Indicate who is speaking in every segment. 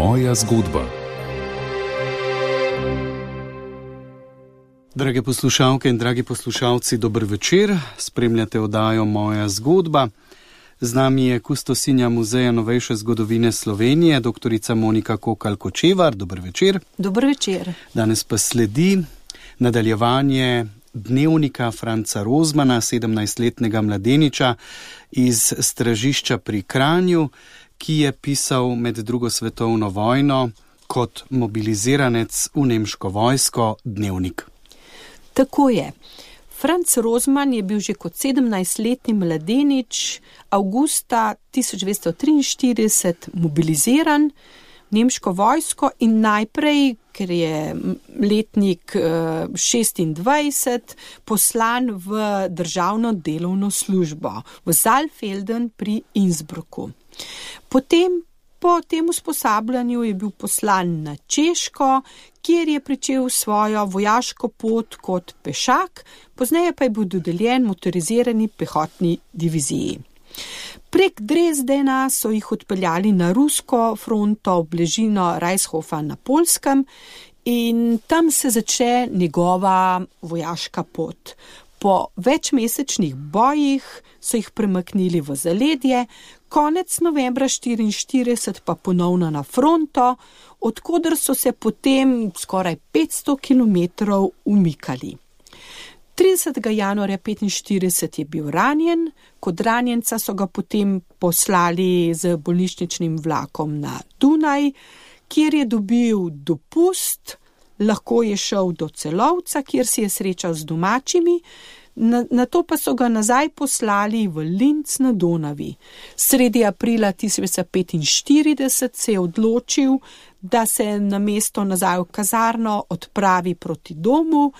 Speaker 1: Moja zgodba.
Speaker 2: Drage poslušalke in dragi poslušalci, dober večer. Spremljate oddajo Moja zgodba. Z nami je kustosinja Muzeja novejše zgodovine Slovenije, doktorica Monika Kokalj-Kočevar. Dober večer.
Speaker 3: Dober večer.
Speaker 2: Danes pa sledi nadaljevanje dnevnika Franca Rozmana, 17-letnega mladeniča iz Stražišča pri Kranju, ki je pisal med drugo svetovno vojno kot mobiliziranec v nemško vojsko dnevnik.
Speaker 3: Tako je. Franc Rozman je bil že kot 17-letni mladenič avgusta 1943 mobiliziran v nemško vojsko in najprej, ker je letnik 26, poslan v državno delovno službo v Saalfelden pri Innsbrucku. Potem, po tem usposabljanju je bil poslan na Češko, kjer je pričel svojo vojaško pot kot pešak, pozneje pa je bil dodeljen motorizirani pehotni diviziji. Prek Dresdena so jih odpeljali na rusko fronto v bližino Reishofa na Poljskem in tam se začne njegova vojaška pot. Po večmesečnih bojih so jih premaknili v zaledje, konec novembra 1944 pa ponovno na fronto, odkoder so se potem skoraj 500 kilometrov umikali. 30. januarja 1945 je bil ranjen, kot ranjenca so ga potem poslali z bolnišničnim vlakom na Dunaj, kjer je dobil dopust, lahko je šel do Celovca, kjer si je srečal z domačimi, nato pa so ga nazaj poslali v Linz na Donavi. Sredi aprila 1945 se je odločil, da se na mesto nazaj v kazarno odpravi proti domu,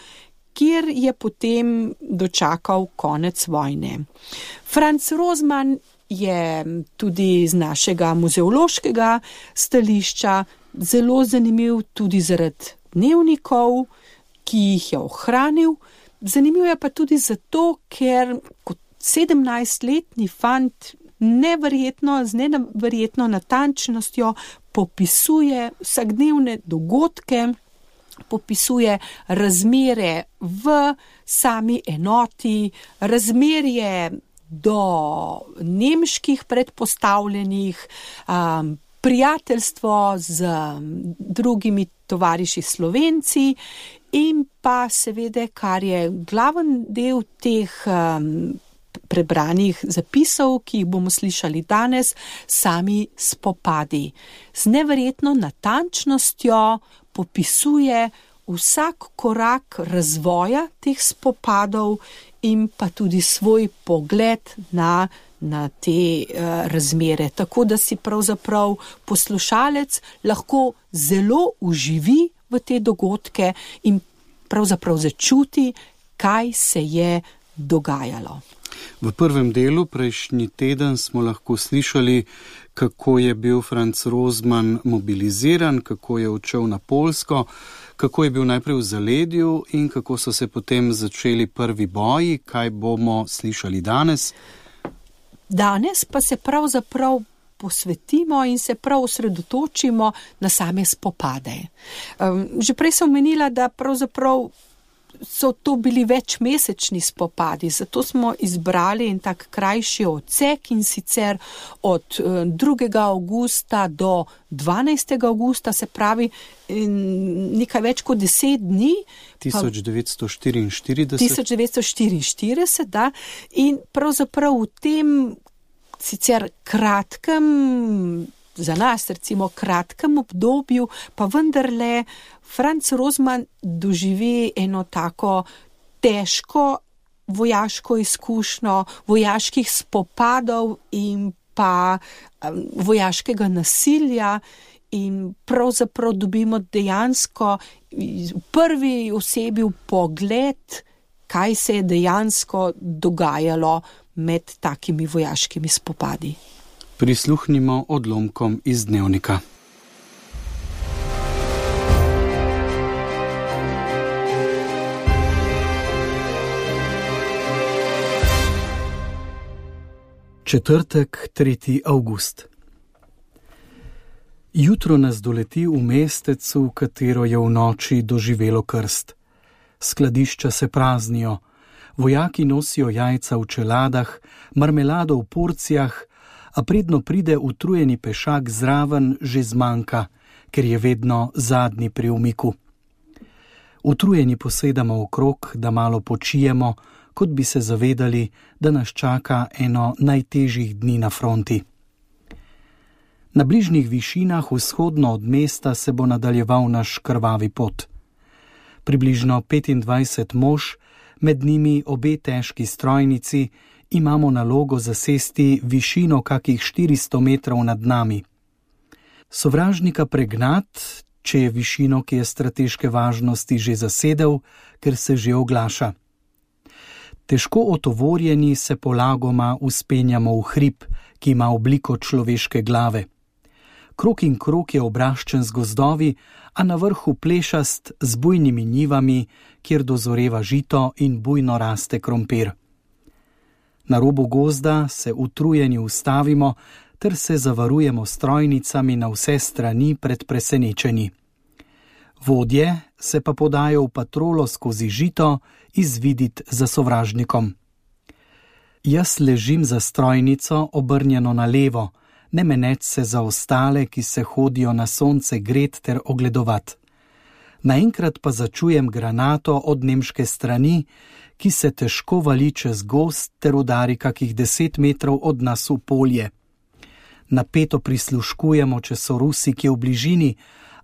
Speaker 3: kjer je potem dočakal konec vojne. Franc Rozman je tudi z našega muzeološkega stališča zelo zanimiv tudi zaradi dnevnikov, ki jih je ohranil. Zanimiv je pa tudi zato, ker kot 17-letni fant z neverjetno natančnostjo popisuje vsakdnevne dogodke, popisuje razmere v sami enoti, razmerje do nemških predpostavljenih, prijateljstvo z drugimi tovariši Slovenci in pa seveda, kar je glaven del teh prebranih zapisov, ki jih bomo slišali danes, sami spopadi. Z neverjetno natančnostjo popisuje vsak korak razvoja teh spopadov in pa tudi svoj pogled na te razmere. Tako da si pravzaprav poslušalec lahko zelo uživi v te dogodke in pravzaprav začuti, kaj se je dogajalo.
Speaker 2: V prvem delu prejšnji teden smo lahko slišali, kako je bil Franc Rozman mobiliziran, kako je odšel na Poljsko, kako je bil najprej v zaledju in kako so se potem začeli prvi boji. Kaj bomo slišali danes?
Speaker 3: Danes pa se pravzaprav posvetimo in se prav osredotočimo na same spopade. Že prej sem omenila, da pravzaprav so to bili večmesečni spopadi, zato smo izbrali en tak krajši odsek in sicer od 2. avgusta do 12. avgusta, se pravi nekaj več kot 10 dni. 1944, da. In pravzaprav v tem sicer kratkem, za nas recimo kratkem obdobju, pa vendarle Franc Rozman doživi eno tako težko vojaško izkušnjo, vojaških spopadov in pa vojaškega nasilja in pravzaprav dobimo dejansko v prvi osebi vpogled, kaj se je dejansko dogajalo med takimi vojaškimi spopadi.
Speaker 2: Prisluhnimo odlomkom iz dnevnika. Četrtek, 3. avgust. Jutro nas doleti v mestecu, katero je v noči doživelo krst. Skladišča se praznijo, vojaki nosijo jajca v čeladah, marmelado v porcijah, a predno pride utrujeni pešak zraven, že zmanjka, ker je vedno zadnji pri umiku. Utrujeni posedamo okrog, da malo počijemo, kot bi se zavedali, da nas čaka eno najtežjih dni na fronti. Na bližnjih višinah vzhodno od mesta se bo nadaljeval naš krvavi pot. Približno 25 mož, med njimi obe težki strojnici, imamo nalogo zasesti višino kakih 400 metrov nad nami. Sovražnika pregnat, če je višino, ki je strateške važnosti že zasedel, ker se že oglaša. Težko otovorjeni se polagoma uspenjamo v hrib, ki ima obliko človeške glave. Krog in krog je obraščen z gozdovi, a na vrhu plešast z bujnimi njivami, kjer dozoreva žito in bujno raste krompir. Na robu gozda se utrujeni ustavimo, ter se zavarujemo s strojnicami na vse strani pred presenečenji. Vodje se pa podajo v patrolo skozi žito izvidit za sovražnikom. Jaz ležim za strojnico obrnjeno na levo, ne meneč se za ostale, ki se hodijo na sonce gret ter ogledovat. Naenkrat pa začujem granato od nemške strani, ki se težko vali čez gozd ter udari kakih 10 metrov od nas v polje. Napeto prisluškujemo, če so Rusi kje v bližini,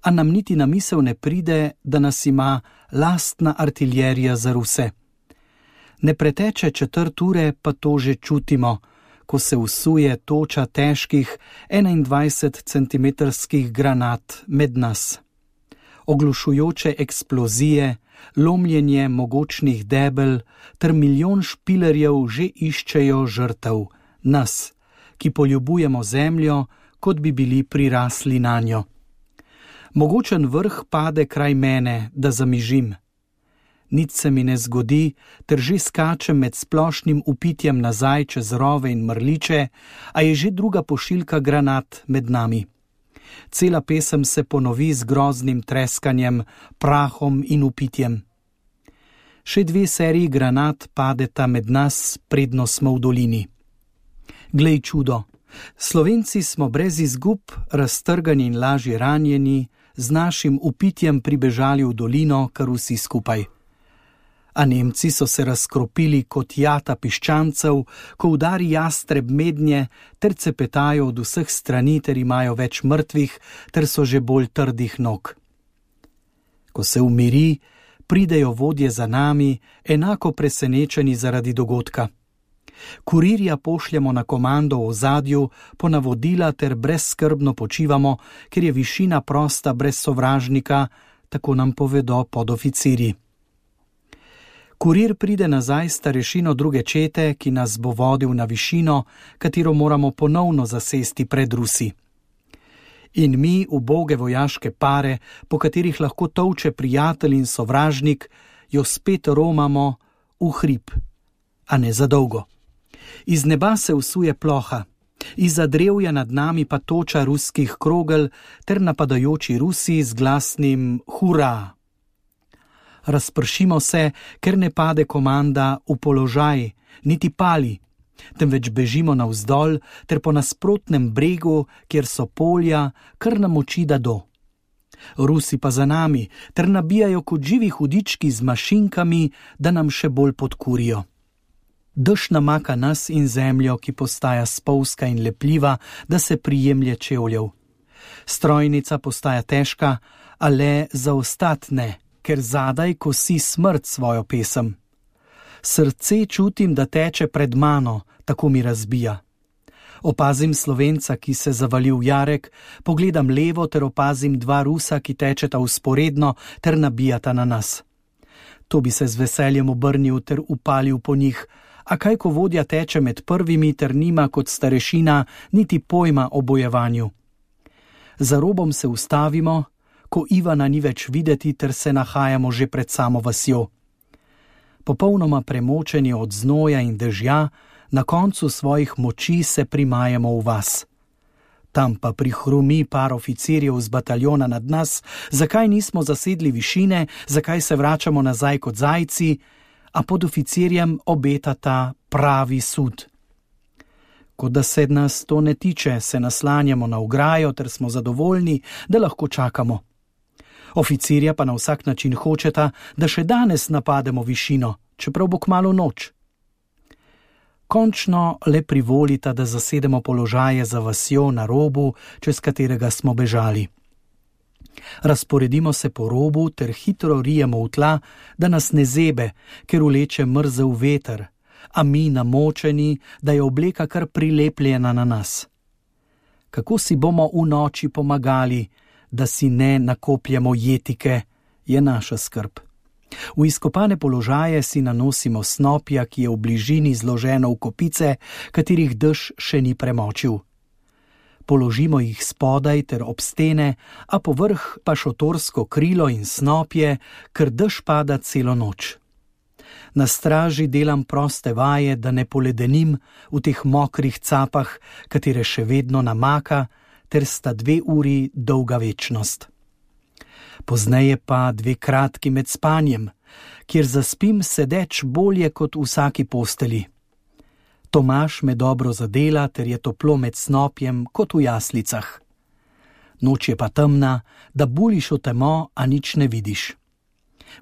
Speaker 2: a nam niti na misel ne pride, da nas ima lastna artiljerija za Ruse. Ne preteče 1/4 ure, pa to že čutimo, ko se usuje toča težkih 21-centimetrskih granat med nas. Oglušujoče eksplozije, lomljenje mogočnih debel ter milijon špilerjev že iščejo žrtev, nas, ki poljubujemo zemljo, kot bi bili prirasli nanjo. Mogočen vrh pade kraj mene, da zamižim. Nič se mi ne zgodi, ter že skačem med splošnim upitjem nazaj čez rove in mrliče, a je že druga pošiljka granat med nami. Cela pesem se ponovi z groznim treskanjem, prahom in upitjem. Še 2 seriji granat padeta med nas, predno smo v dolini. Glej čudo, Slovenci smo brez izgub, raztrgani in lažje ranjeni, z našim upitjem pribežali v dolino, kar vsi skupaj. A Nemci so se razkropili kot jata piščancev, ko udari jastreb mednje, ter cepetajo od vseh strani, ter imajo več mrtvih, ter so že bolj trdih nog. Ko se umiri, pridejo vodje za nami, enako presenečeni zaradi dogodka. Kurirja pošljemo na komando v ozadju, po navodila ter brezskrbno počivamo, ker je višina prosta brez sovražnika, tako nam povedo podoficirji. Kurir pride nazaj s starešino druge čete, ki nas bo vodil na višino, katero moramo ponovno zasesti pred Rusi. In mi, uboge vojaške pare, po katerih lahko tolče prijatelj in sovražnik, jo spet romamo v hrib, a ne za dolgo. Iz neba se usuje ploha, izza drevja nad nami pa toča ruskih krogel ter napadajoči Rusi z glasnim hurra. Razpršimo se, ker ne pade komanda v položaj, niti pali, temveč bežimo navzdol ter po nasprotnem bregu, kjer so polja, kar nam oči da do. Rusi pa za nami ter nabijajo kot živi hudički z mašinkami, da nam še bolj podkurijo. Dež namaka nas in zemljo, ki postaja spolzka in lepljiva, da se prijemlje čevljev. Strojnica postaja težka, a le za ostat ne, ker zadaj kosi smrt svojo pesem. Srce čutim, da teče pred mano, tako mi razbija. Opazim Slovenca, ki se zavali v jarek, pogledam levo ter opazim 2 Rusa, ki tečeta vzporedno ter nabijata na nas. To bi se z veseljem obrnil ter upalil po njih, a kaj ko vodja teče med prvimi ter nima kot starešina niti pojma o bojevanju. Za robom se ustavimo, ko Ivana ni več videti ter se nahajamo že pred samo vasjo. Popolnoma premočeni od znoja in dežja, na koncu svojih moči se primajamo v vas. Tam pa prihrumi par oficirjev z bataljona nad nas, zakaj nismo zasedli višine, zakaj se vračamo nazaj kot zajci, a pod oficirjem obetata pravi sud. Kot da se nas to ne tiče, se naslanjamo na ograjo ter smo zadovoljni, da lahko čakamo. Oficirja pa na vsak način hočeta, da še danes napademo višino, čeprav bo kmalu noč. Končno le privolita, da zasedemo položaje za vasjo na robu, čez katerega smo bežali. Razporedimo se po robu ter hitro rijemo v tla, da nas ne zebe, ker vleče mrzel veter, a mi namočeni, da je obleka kar prilepljena na nas. Kako si bomo v noči pomagali, da si ne nakopljemo jetike, je naša skrb. V izkopane položaje si nanosimo snopja, ki je v bližini zloženo v kopice, katerih dež še ni premočil. Položimo jih spodaj ter ob stene, a povrh pa šotorsko krilo in snopje, ker dež pada celo noč. Na straži delam proste vaje, da ne poledenim v teh mokrih capah, katere še vedno namaka, ter sta 2 uri dolga večnost. Pozneje pa 2 kratki med spanjem, kjer zaspim sedeč bolje kot v vsaki posteli. Tomaž me dobro zadela, ter je toplo med snopjem kot v jaslicah. Noč je pa temna, da buliš v temo, a nič ne vidiš.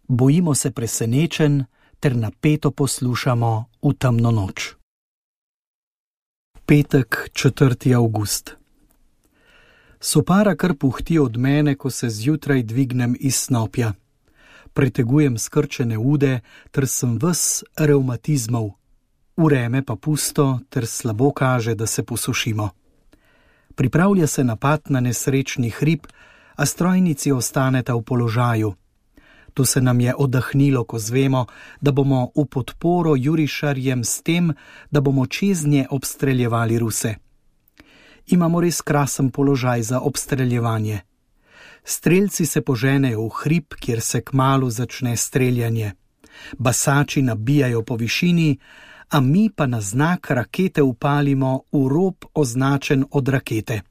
Speaker 2: Bojimo se presenečen, ter napeto poslušamo v temno noč. Petek, 4. avgust. Sopara kar puhti od mene, ko se zjutraj dvignem iz snopja. Pretegujem skrčene ude, ter sem ves revmatizmov. Vreme pa pusto, ter slabo kaže, da se posušimo. Pripravlja se napad na nesrečni hrib, a strojnici ostaneta v položaju. To se nam je oddahnilo, ko zvemo, da bomo v podporo jurišarjem s tem, da bomo čez nje obstreljevali Ruse. Imamo res krasen položaj za obstreljevanje. Strelci se poženejo v hrib, kjer se kmalu začne streljanje. Basači nabijajo po višini, a mi pa na znak rakete upalimo v rob označen od rakete.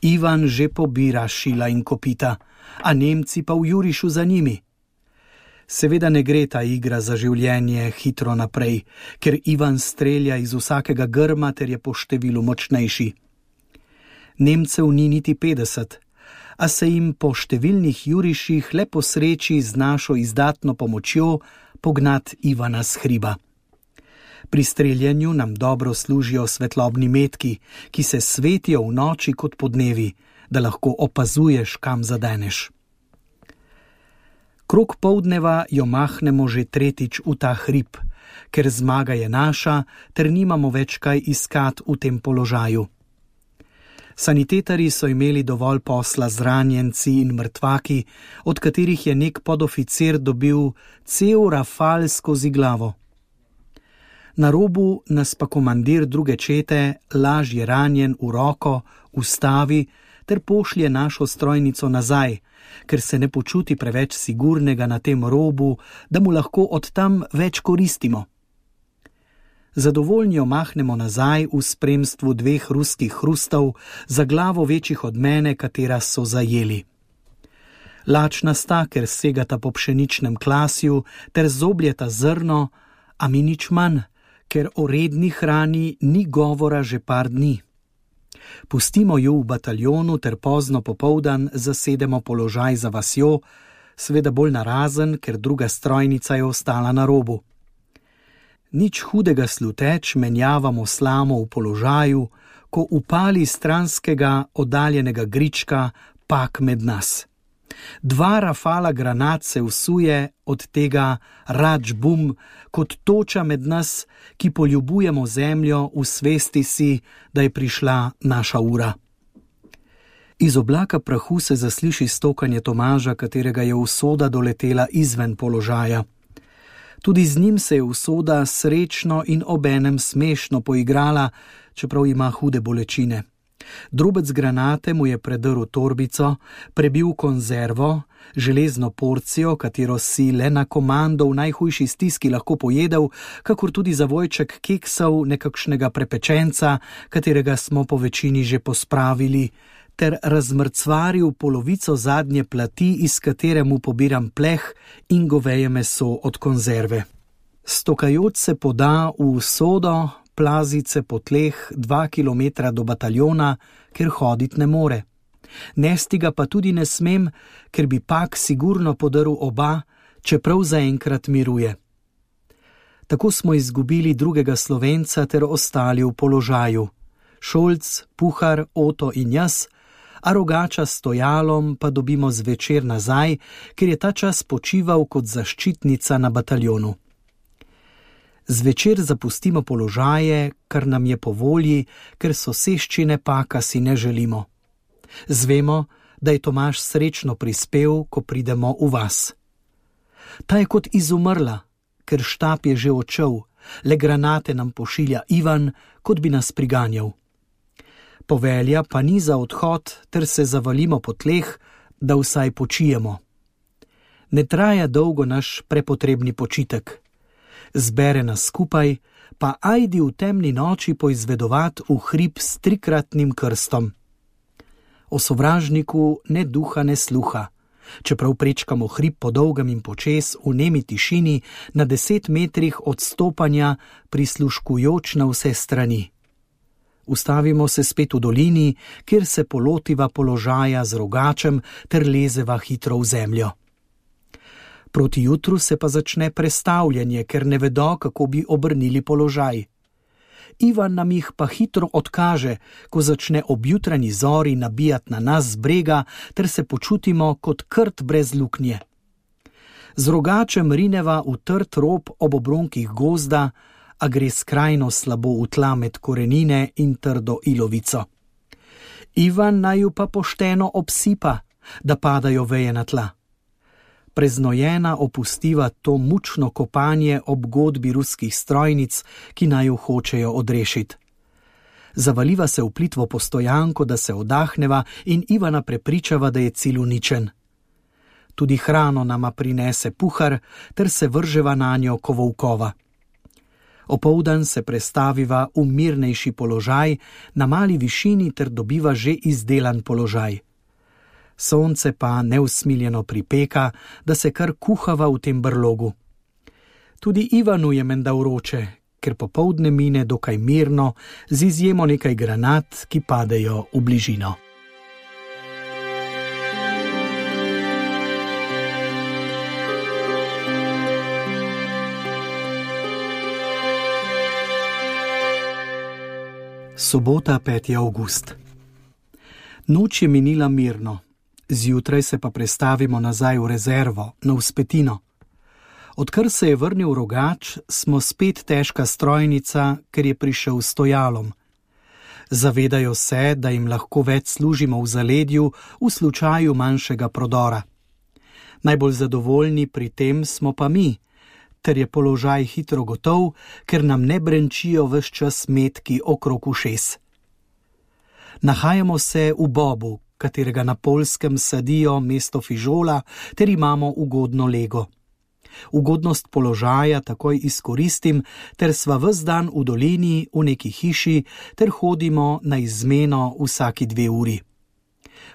Speaker 2: Ivan že pobira šila in kopita, a Nemci pa v jurišu za njimi. Seveda ne gre ta igra za življenje hitro naprej, ker Ivan strelja iz vsakega grma ter je po številu močnejši. Nemcev ni niti 50, a se jim po številnih juriših le posreči z našo izdatno pomočjo pognat Ivana s hriba. Pri streljanju nam dobro služijo svetlobni metki, ki se svetijo v noči kot podnevi, da lahko opazuješ, kam zadeneš. Krog poldneva jo mahnemo že 3. v ta hrib, ker zmaga je naša, ter nimamo več kaj iskat v tem položaju. Sanitetari so imeli dovolj posla z ranjenci in mrtvaki, od katerih je nek podoficir dobil cel rafal skozi glavo. Na robu nas pa komandir druge čete, lažje ranjen v roko, ustavi ter pošlje našo strojnico nazaj, ker se ne počuti preveč sigurnega na tem robu, da mu lahko od tam več koristimo. Zadovoljnjo mahnemo nazaj v spremstvu 2 ruskih hrustov, za glavo večjih od mene, katera so zajeli. Lačna sta, ker segata po pšeničnem klasju, ter zobljeta zrno, a mi nič manj, ker o redni hrani ni govora že par dni. Pustimo ju v bataljonu ter pozno popoldan zasedemo položaj za vasjo, seveda bolj narazen, ker druga strojnica je ostala na robu. Nič hudega sluteč menjavamo slamo v položaju, ko upali stranskega oddaljenega grička pak med nas. 2 rafala granat se vsuje od tega rač-bum kot toča med nas, ki poljubujemo zemljo v svesti si, da je prišla naša ura. Iz oblaka prahu se zasliši stokanje Tomaža, katerega je usoda doletela izven položaja. Tudi z njim se je usoda srečno in obenem smešno poigrala, čeprav ima hude bolečine. Drobec granate mu je predrl torbico, prebil konzervo, železno porcijo, katero si le na komando v najhujši stiski lahko pojedel, kakor tudi zavojček keksov nekakšnega prepečenca, katerega smo po večini že pospravili, ter razmrcvaril polovico zadnje plati, iz katere mu pobiram pleh in goveje meso od konzerve. Stokajoč se poda v sodo, plazice po tleh 2 kilometra do bataljona, ker hodit ne more. Nesti ga pa tudi ne smem, ker bi pak sigurno podrl oba, čeprav zaenkrat miruje. Tako smo izgubili drugega Slovenca ter ostali v položaju. Šolc, Puhar, Oto in jaz, a Rogača s Stojalom pa dobimo zvečer nazaj, ker je ta čas počival kot zaščitnica na bataljonu. Zvečer zapustimo položaje, kar nam je po volji, ker soseščine paka si ne želimo. Zvemo, da je Tomaž srečno prispel, ko pridemo v vas. Ta je kot izumrla, ker štab je že odšel, le granate nam pošilja Ivan, kot bi nas priganjal. Povelja pa ni za odhod, ter se zavalimo po tleh, da vsaj počijemo. Ne traja dolgo naš prepotrebni počitek. Zbere nas skupaj, pa ajdi v temni noči poizvedovat v hrib s 3-kratnim krstom. O sovražniku ne duha ne sluha, čeprav prečkamo hrib po dolgem in počes v nemi tišini na 10 metrih odstopanja, prisluškujoč na vse strani. Ustavimo se spet v dolini, kjer se polotiva položaja z Rogačem ter lezeva hitro v zemljo. Proti jutru se pa začne prestavljanje, ker ne vedo, kako bi obrnili položaj. Ivan nam jih pa hitro odkaže, ko začne ob jutranji zori nabijati na nas z brega, ter se počutimo kot krt brez luknje. Z Rogačem rineva v trd rob ob obronkih gozda, a gre skrajno slabo v tla med korenine in trdo ilovico. Ivan naju pa pošteno obsipa, da padajo veje na tla. Preznojena opustiva to mučno kopanje ob godbi ruskih strojnic, ki naju hočejo odrešiti. Zavaliva se v plitvo postojanko, da se oddahneva, in Ivana prepričava, da je cilj uničen. Tudi hrano nama prinese Puhar, ter se vrževa nanjo ko volkova. Opoldan se prestaviva v mirnejši položaj na mali višini ter dobiva že izdelan položaj. Sonce pa neusmiljeno pripeka, da se kar kuhava v tem brlogu. Tudi Ivanu je menda vroče, ker popoldne mine dokaj mirno, z izjemo nekaj granat, ki padejo v bližino. Sobota, 5. avgust. Noč je minila mirno. Zjutraj se pa prestavimo nazaj v rezervo, na vzpetino. Odkar se je vrnil Rogač, smo spet težka strojnica, ker je prišel s Stojalom. Zavedajo se, da jim lahko več služimo v zaledju v slučaju manjšega prodora. Najbolj zadovoljni pri tem smo pa mi, ter je položaj hitro gotov, ker nam ne brenčijo ves čas metki okrog ušes. Nahajamo se v Bobu, katerega na Poljskem sadijo mesto fižola, ter imamo ugodno lego. Ugodnost položaja takoj izkoristim, ter sva ves dan v dolini v neki hiši, ter hodimo na izmeno vsaki 2 uri.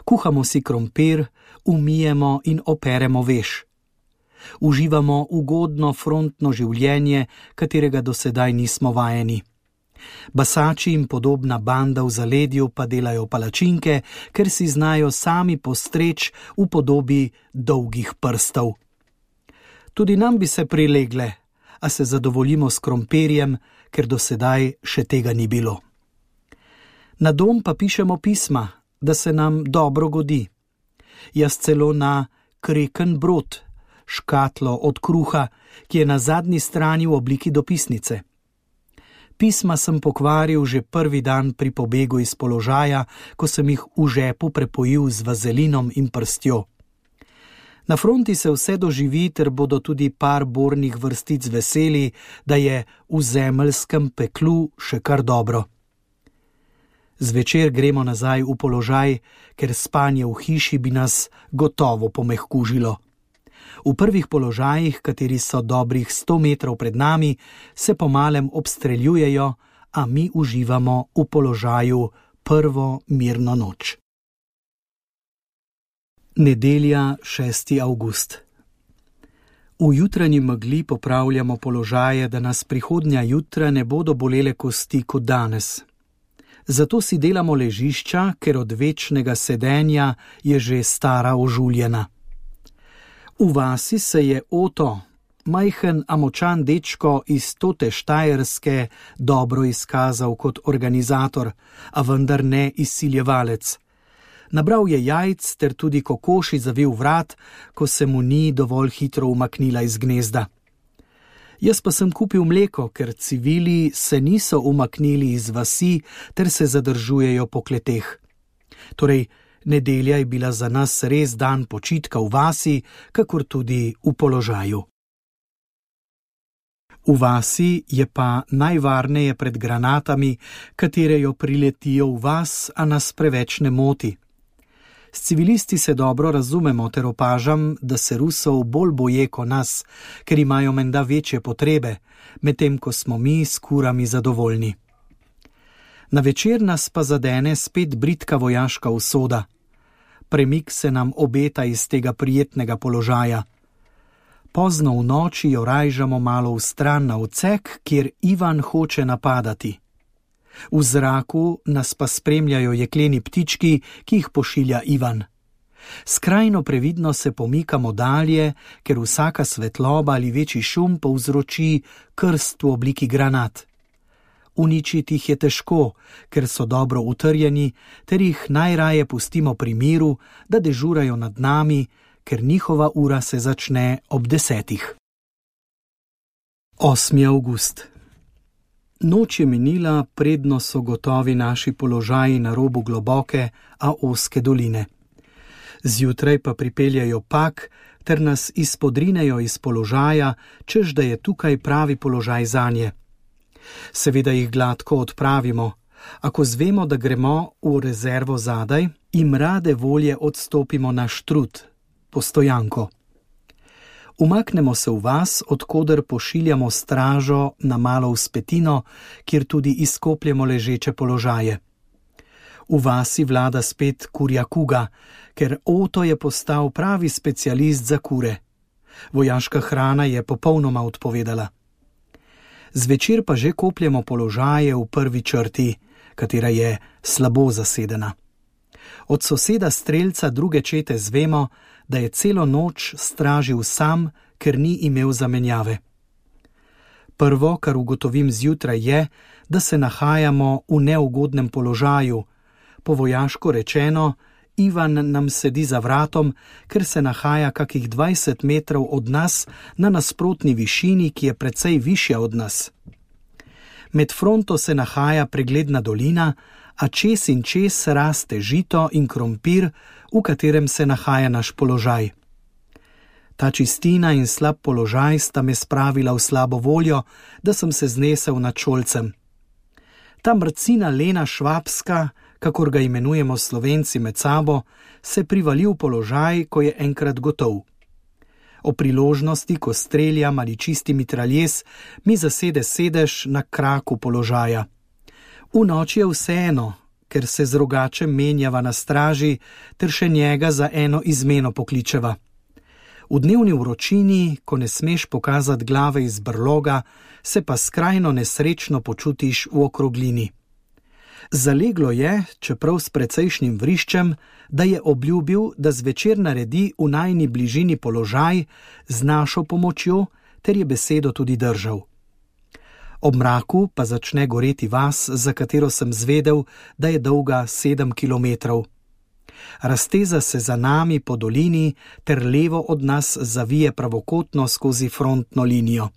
Speaker 2: Kuhamo si krompir, umijemo in operemo veš. Uživamo ugodno frontno življenje, katerega do sedaj nismo vajeni. Basači in podobna banda v zaledju pa delajo palačinke, ker si znajo sami postreč v podobi dolgih prstov. Tudi nam bi se prilegle, a se zadovoljimo s krompirjem, ker do sedaj še tega ni bilo. Na dom pa pišemo pisma, da se nam dobro godi. Jaz celo na kreken brod, škatlo od kruha, ki je na zadnji strani v obliki dopisnice. Pisma sem pokvaril že prvi dan pri pobegu iz položaja, ko sem jih v žepu prepojil z vazelinom in prstjo. Na fronti se vse doživi, ter bodo tudi par bornih vrstic veseli, da je v zemeljskem peklu še kar dobro. Zvečer gremo nazaj v položaj, ker spanje v hiši bi nas gotovo pomehkužilo. V prvih položajih, kateri so dobrih 100 metrov pred nami, se pomalem obstreljujejo, a mi uživamo v položaju prvo mirno noč. Nedelja, 6. avgust. V jutranji megli popravljamo položaje, da nas prihodnja jutra ne bodo bolele kosti kot danes. Zato si delamo ležišča, ker od večnega sedenja je že stara ožuljena. V vasi se je Oto, majhen a močan dečko iz Tote Štajerske, dobro izkazal kot organizator, a vendar ne izsiljevalec. Nabral je jajc ter tudi kokoši zavil vrat, ko se mu ni dovolj hitro umaknila iz gnezda. Jaz pa sem kupil mleko, ker civili se niso umaknili iz vasi ter se zadržujejo po kleteh. Torej, nedelja je bila za nas res dan počitka v vasi, kakor tudi v položaju. V vasi je pa najvarneje pred granatami, katere jo priletijo v vas, a nas preveč ne moti. S civilisti se dobro razumemo ter opažam, da se Rusov bolj boje kot nas, ker imajo menda večje potrebe, medtem ko smo mi s kurami zadovoljni. Na večer nas pa zadene spet bridka vojaška usoda. Premik se nam obeta iz tega prijetnega položaja. Pozno v noči jo rajžamo malo v stran na odsek, kjer Ivan hoče napadati. V zraku nas pa spremljajo jekleni ptički, ki jih pošilja Ivan. Skrajno previdno se pomikamo dalje, ker vsaka svetloba ali večji šum povzroči krst v obliki granat. Uničiti jih je težko, ker so dobro utrjeni, ter jih najraje pustimo pri miru, da dežurajo nad nami, ker njihova ura se začne ob 10. 8. avgust. Noč je minila, predno so gotovi naši položaji na robu globoke, a ozke doline. Zjutraj pa pripeljajo pak, ter nas izpodrinejo iz položaja, češ da je tukaj pravi položaj zanje. Seveda jih gladko odpravimo, a ko zvemo, da gremo v rezervo zadaj, jim rade volje odstopimo na štrud, postojanko. Umaknemo se v vas, odkoder pošiljamo stražo na malo vzpetino, kjer tudi izkopljemo ležeče položaje. V vasi vlada spet kurja kuga, ker Oto je postal pravi specialist za kure. Vojaška hrana je popolnoma odpovedala. Zvečer pa že kopljemo položaje v prvi črti, katera je slabo zasedena. Od soseda strelca druge čete zvemo, da je celo noč stražil sam, ker ni imel zamenjave. Prvo, kar ugotovim zjutraj, je, da se nahajamo v neugodnem položaju. Po vojaško rečeno, Ivan nam sedi za vratom, ker se nahaja kakih 20 metrov od nas na nasprotni višini, ki je precej višja od nas. Med fronto se nahaja pregledna dolina, a čez in čez raste žito in krompir, v katerem se nahaja naš položaj. Ta čistina in slab položaj sta me spravila v slabo voljo, da sem se znesel nad šolcem. Ta mrcina Lena Švabska, kakor ga imenujemo Slovenci med sabo, se privali v položaj, ko je enkrat gotov. O priložnosti, ko streljam ali čisti mitraljes, mi zasede sedež na kraku položaja. V noči je vseeno, ker se z rogačem menjava na straži, ter še njega za eno izmeno pokličeva. V dnevni vročini, ko ne smeš pokazati glave iz brloga, se pa skrajno nesrečno počutiš v okroglini. Zaleglo je, čeprav s precejšnjim vriščem, da je obljubil, da zvečer naredi v najni bližini položaj z našo pomočjo, ter je besedo tudi držal. Ob mraku pa začne goreti vas, za katero sem zvedel, da je dolga 7 kilometrov. Razteza se za nami po dolini, ter levo od nas zavije pravokotno skozi frontno linijo.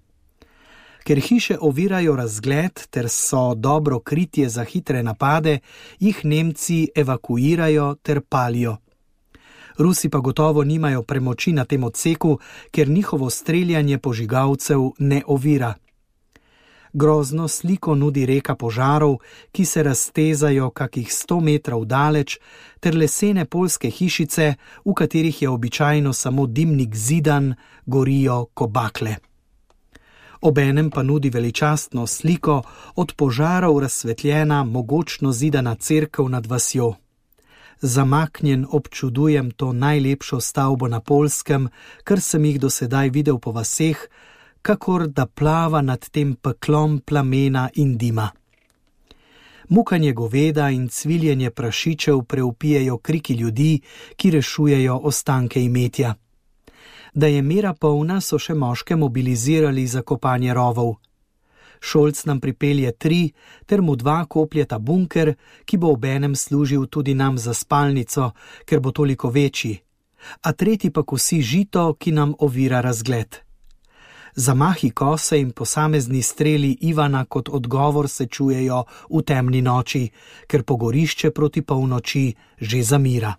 Speaker 2: Ker hiše ovirajo razgled, ter so dobro kritje za hitre napade, jih Nemci evakuirajo ter palijo. Rusi pa gotovo nimajo premoči na tem odseku, ker njihovo streljanje požigalcev ne ovira. Grozno sliko nudi reka požarov, ki se raztezajo kakih 100 metrov daleč, ter lesene poljske hišice, v katerih je običajno samo dimnik zidan, gorijo ko bakle. Obenem pa nudi veličastno sliko od požarov razsvetljena, mogočno zidana cerkev nad vasjo. Zamaknjen občudujem to najlepšo stavbo na Poljskem, kar sem jih do sedaj videl po vaseh, kakor da plava nad tem peklom plamena in dima. Mukanje goveda in cviljenje prašičev preupijejo kriki ljudi, ki rešujejo ostanke imetja. Da je mera polna, so še moške mobilizirali za kopanje rovov. Šolc nam pripelje 3, ter mu 2 kopljeta bunker, ki bo obenem služil tudi nam za spalnico, ker bo toliko večji, a 3. pa kosi žito, ki nam ovira razgled. Zamahi kose in posamezni streli Ivana kot odgovor se čujejo v temni noči, ker pogorišče proti polnoči že zamira.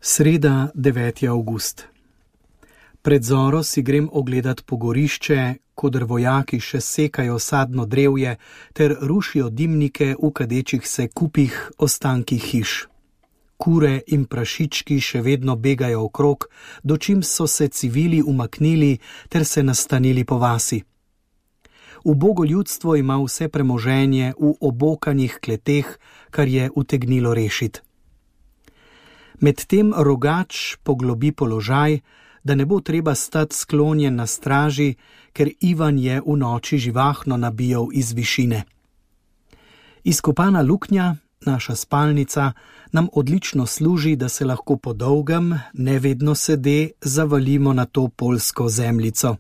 Speaker 2: Sreda, 9. avgust. Pred zoro si grem ogledat pogorišče, kodr vojaki še sekajo sadno drevje ter rušijo dimnike v kadečih se kupih ostankih hiš. Kure in prašički še vedno begajo okrog, dočim so se civili umaknili ter se nastanili po vasi. Ubogo ljudstvo ima vse premoženje v obokanih kleteh, kar je utegnilo rešiti. Medtem rogač poglobi položaj, da ne bo treba stati sklonjen na straži, ker Ivan je v noči živahno nabijal iz višine. Izkopana luknja, naša spalnica, nam odlično služi, da se lahko po dolgem, nevedno sede, zavalimo na to poljsko zemljico.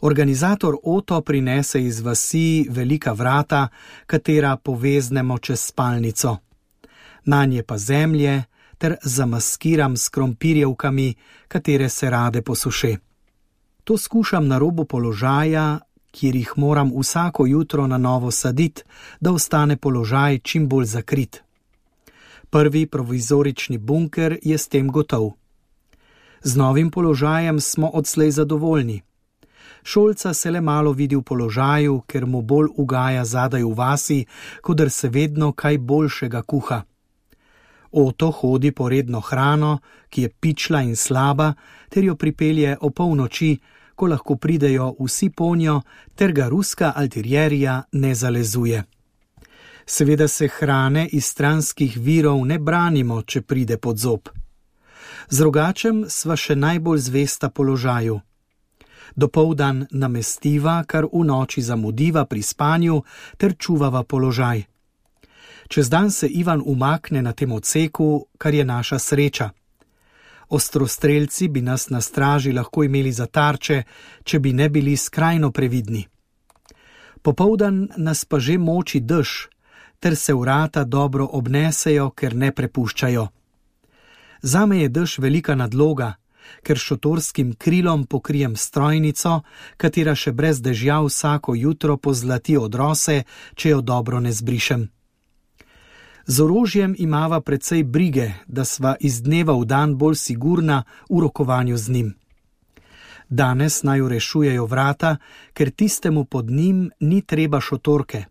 Speaker 2: Organizator Oto prinese iz vasi velika vrata, katera poveznemo čez spalnico. Nanje pa zemlje, ter zamaskiram s krompirjevkami, katere se rade posuše. To skušam na robu položaja, kjer jih moram vsako jutro na novo saditi, da ostane položaj čim bolj zakrit. Prvi provizorični bunker je s tem gotov. Z novim položajem smo odslej zadovoljni. Šolca se le malo vidi v položaju, ker mu bolj ugaja zadaj v vasi, kodr se vedno kaj boljšega kuha. Oto hodi po redno hrano, ki je pičla in slaba, ter jo pripelje o polnoči, ko lahko pridejo vsi ponjo, ter ga ruska altirjerija ne zalezuje. Seveda se hrane iz stranskih virov ne branimo, če pride pod zob. Z rogačem sva še najbolj zvesta položaju. Dopoldan namestiva, kar v noči zamudiva pri spanju, ter čuvava položaj. Čez dan se Ivan umakne na tem odseku, kar je naša sreča. Ostrostrelci bi nas na straži lahko imeli za tarče, če bi ne bili skrajno previdni. Popoldan nas pa že moči dež, ter se vrata dobro obnesejo, ker ne prepuščajo. Zame je dež velika nadloga, ker šotorskim krilom pokrijem strojnico, katera še brez dežja vsako jutro pozlati odrose, če jo dobro ne zbrišem. Z orožjem imava precej brige, da sva iz dneva v dan bolj sigurna v rokovanju z njim. Danes naju rešujejo vrata, ker tistemu pod njim ni treba šotorke.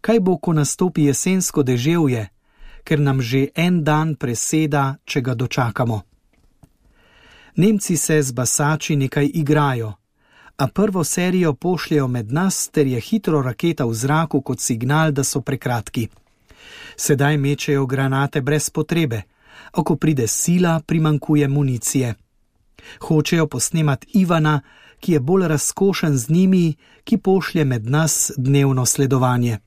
Speaker 2: Kaj bo, ko nastopi jesensko deževje, ker nam že en dan preseda, če ga dočakamo? Nemci se z basači nekaj igrajo, a prvo serijo pošljejo med nas, ter je hitro raketa v zraku kot signal, da so prekratki. Sedaj mečejo granate brez potrebe, a ko pride sila, primanjkuje municije. Hočejo posnemati Ivana, ki je bolj razkošen z njimi, ki pošlje med nas dnevno sledovanje.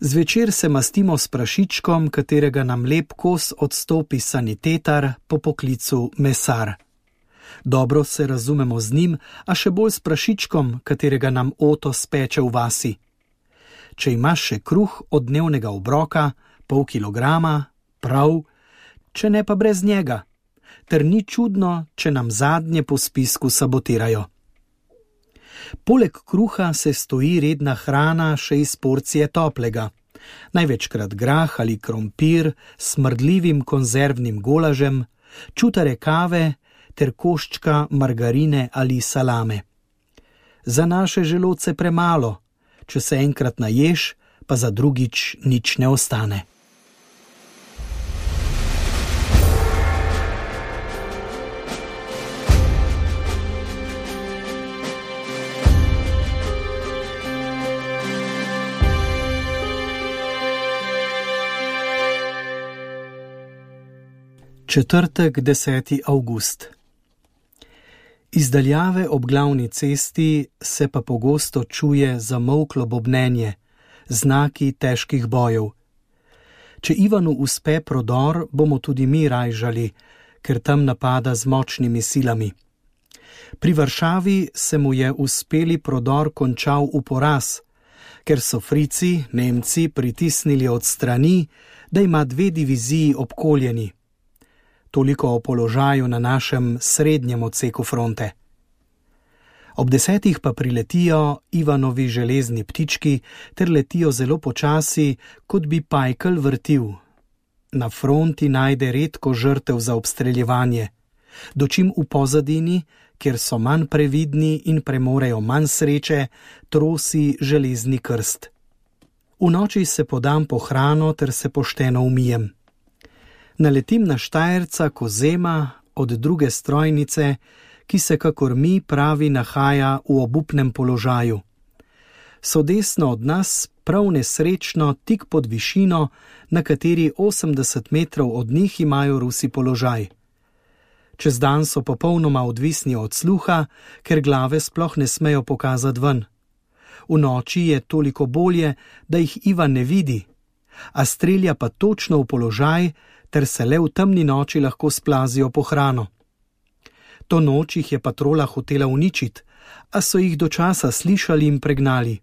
Speaker 2: Zvečer se mastimo s prašičkom, katerega nam lep kos odstopi sanitetar, po poklicu mesar. Dobro se razumemo z njim, a še bolj s prašičkom, katerega nam Oto speče v vasi. Če imaš še kruh od dnevnega obroka, pol kilograma, prav, če ne pa brez njega, ter ni čudno, če nam zadnje po spisku sabotirajo. Poleg kruha se stoji redna hrana še iz porcije toplega, največkrat grah ali krompir s smrdljivim konzervnim golažem, čutare kave ter koščka margarine ali salame. za naše želodce premalo, če se enkrat naješ, pa za drugič nič ne ostane. Četrtek, 10. avgust. Iz daljave ob glavni cesti se pa pogosto čuje zamolklo bobnenje, znaki težkih bojev. Če Ivanu uspe prodor, bomo tudi mi rajžali, ker tam napada z močnimi silami. Pri Varšavi se mu je uspeli prodor končal v poraz, ker so Frici, Nemci, pritisnili od strani, da ima 2 diviziji obkoljeni. Toliko o položaju na našem srednjem odseku fronte. Ob 10. pa priletijo Ivanovi železni ptički ter letijo zelo počasi, kot bi pajkel vrtil. Na fronti najde redko žrtev za obstreljevanje, dočim v pozadini, kjer so manj previdni in premorejo manj sreče, trosi železni krst. V noči se podam po hrano ter se pošteno umijem. Naletim na Štajerca Kozema od druge strojnice, ki se kakor mi pravi nahaja v obupnem položaju. So desno od nas, prav nesrečno, tik pod višino, na kateri 80 metrov od njih imajo Rusi položaj. Čez dan so popolnoma odvisni od sluha, ker glave sploh ne smejo pokazati ven. V noči je toliko bolje, da jih Ivan ne vidi, a strelja pa točno v položaj, ter se le v temni noči lahko splazijo po hrano. To noč jih je patrola hotela uničiti, a so jih do časa slišali in pregnali.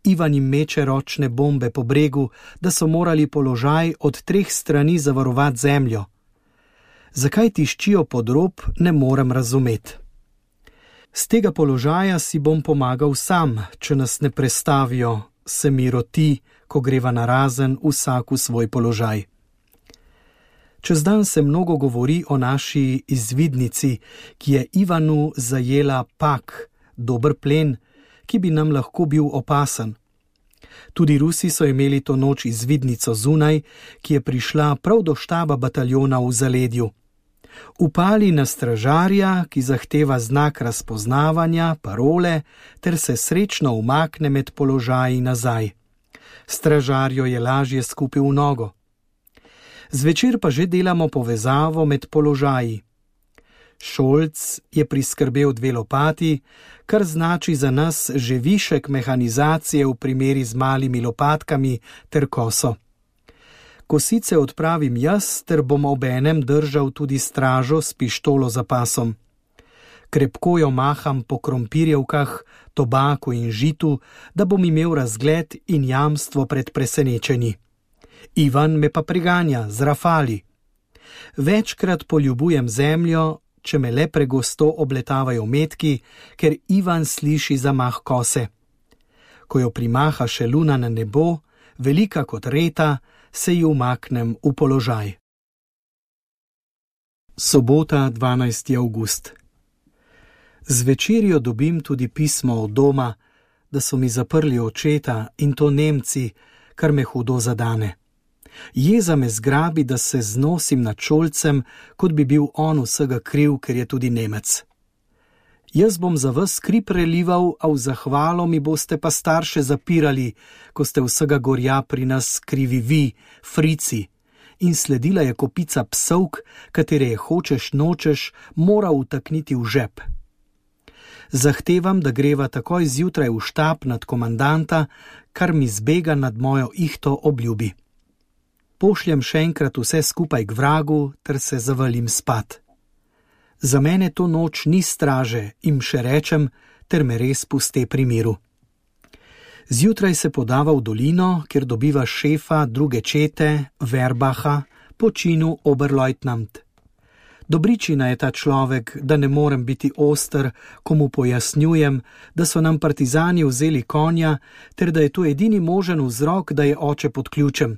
Speaker 2: Ivan jim meče ročne bombe po bregu, da so morali položaj od 3 strani zavarovati zemljo. Zakaj tiščijo pod rob, ne morem razumeti. Z tega položaja si bom pomagal sam, če nas ne prestavijo, se mi roti, ko greva narazen vsak v svoj položaj. Čez dan se mnogo govori o naši izvidnici, ki je Ivanu zajela pak, dober plen, ki bi nam lahko bil opasen. Tudi Rusi so imeli to noč izvidnico zunaj, ki je prišla prav do štaba bataljona v zaledju. Upali na stražarja, ki zahteva znak razpoznavanja, parole, ter se srečno umakne med položaji nazaj. Stražarjo je lažje skupil v nogo. Zvečer pa že delamo povezavo med položaji. Šolc je priskrbel 2 lopati, kar znači za nas že višek mehanizacije v primeri z malimi lopatkami ter koso. Kosice odpravim jaz, ter bom obenem držal tudi stražo s pištolo za pasom. Krepko jo maham po krompirjevkah, tobaku in žitu, da bom imel razgled in jamstvo pred presenečenji. Ivan me pa priganja z rafali. Večkrat poljubujem zemljo, če me le pregosto obletavajo metki, ker Ivan sliši zamah kose. Ko jo primaha še luna na nebo, velika kot reta, se ji umaknem v položaj. Sobota, 12. avgust. Z večerjo dobim tudi pismo od doma, da so mi zaprli očeta in to Nemci, kar me hudo zadane. Jeza me zgrabi, da se znosim nad Šolcem, kot bi bil on vsega kriv, ker je tudi Nemec. Jaz bom za vas kri prelival, a v zahvalo mi boste pa starše zapirali, ko ste vsega gorja pri nas krivi vi, Frici. In sledila je kopica psovk, katere je hočeš nočeš moral utakniti v žep. Zahtevam, da greva takoj zjutraj v štab nad komandanta, kar mi zbega nad mojo ihto obljubi. Pošljem še enkrat vse skupaj k vragu, ter se zavalim spat. Za mene to noč ni straže, jim še rečem, ter me res puste pri miru. Zjutraj se podava v dolino, kjer dobiva šefa druge čete, Verbaha, po činu oberleutnant. Dobričina je ta človek, da ne morem biti oster, ko mu pojasnjujem, da so nam partizani vzeli konja, ter da je to edini možen vzrok, da je oče pod ključem.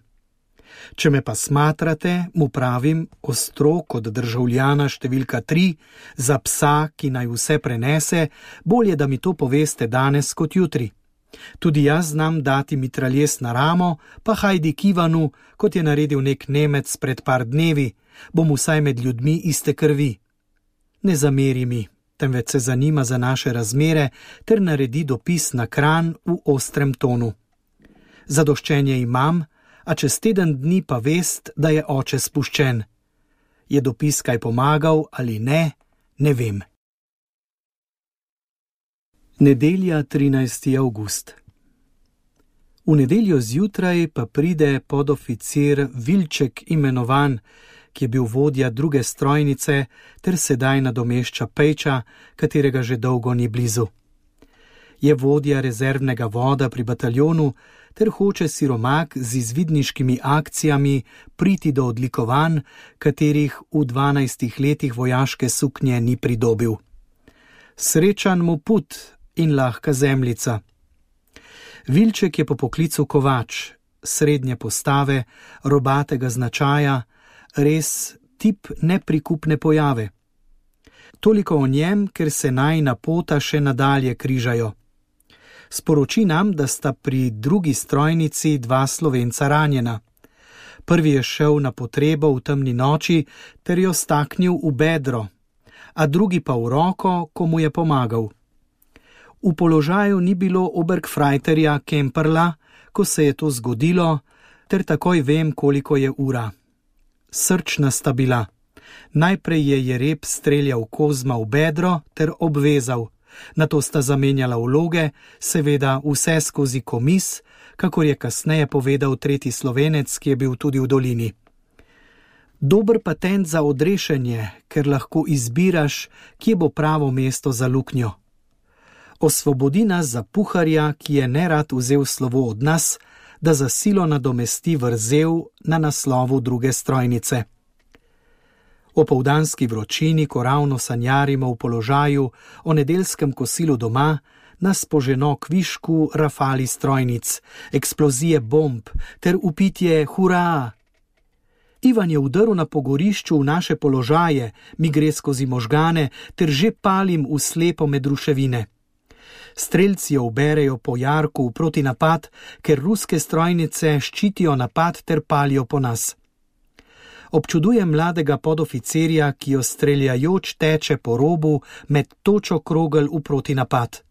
Speaker 2: Če me pa smatrate, mu pravim, ostro kot državljana številka 3, za psa, ki naj vse prenese, bolje, da mi to poveste danes kot jutri. Tudi jaz znam dati mitraljes na ramo, pa hajdi k Ivanu, kot je naredil nek Nemec pred par dnevi, bom vsaj med ljudmi iste krvi. Ne zameri mi, temveč se zanima za naše razmere ter naredi dopis na Kranj v ostrem tonu. Zadoščenje imam, a čez teden dni pa vest, da je oče spuščen. Je dopis kaj pomagal ali ne, ne vem. Nedelja, 13. avgust. V nedeljo zjutraj pa pride podoficir Vilček imenovan, ki je bil vodja druge strojnice ter sedaj nadomešča Pejča, katerega že dolgo ni blizu. Je vodja rezervnega voda pri bataljonu ter hoče siromak z izvidniškimi akcijami priti do odlikovanj, katerih v 12 letih vojaške suknje ni pridobil. Srečan mu put in lahka zemljica. Vilček je po poklicu kovač, srednje postave, robatega značaja, res tip neprikupne pojave. Toliko o njem, ker se najina pota še nadalje križajo. Sporoči nam, da sta pri drugi strojnici 2 Slovenca ranjena. Prvi je šel na potrebo v temni noči ter jo staknil v bedro, a drugi pa v roko, ko mu je pomagal. V položaju ni bilo obergfreiterja Kemperla, ko se je to zgodilo, ter takoj vem, koliko je ura. Srčna sta bila. Najprej je Jereb streljal Kozma v bedro ter obvezal. Nato sta zamenjala vloge, seveda vse skozi komis, kakor je kasneje povedal tretji Slovenec, ki je bil tudi v dolini. Dober patent za odrešenje, ker lahko izbiraš, kje bo pravo mesto za luknjo. Osvobodi nas za puharja, ki je nerad vzel slovo od nas, da za silo nadomesti vrzel na naslovu druge strojnice. O povdanski vročini, ko ravno sanjarimo v položaju o nedeljskem kosilu doma, nas poženo k višku rafali strojnic, eksplozije bomb ter upitje hurra. Ivan je vdrl na pogorišču v naše položaje, mi gre skozi možgane ter že palim v slepo med ruševine. Strelci jo uberejo po jarku v protinapad, ker ruske strojnice ščitijo napad ter palijo po nas. Občudujem mladega podoficirja, ki jo streljajoč teče po robu med točo krogel v protinapad.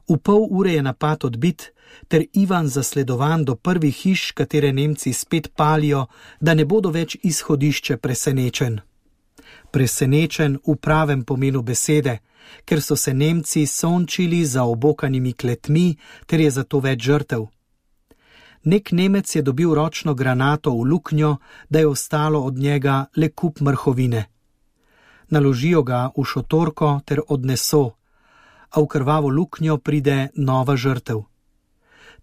Speaker 2: V pol ure je napad odbit, ter Ivan zasledovan do prvih hiš, katere Nemci spet palijo, da ne bodo več izhodišče presenečen. Presenečen v pravem pomenu besede, ker so se Nemci sončili za obokanimi kletmi, ter je zato več žrtev. Nek Nemec je dobil ročno granato v luknjo, da je ostalo od njega le kup mrhovine. Naložijo ga v šotorko ter odneso, a v krvavo luknjo pride nova žrtev.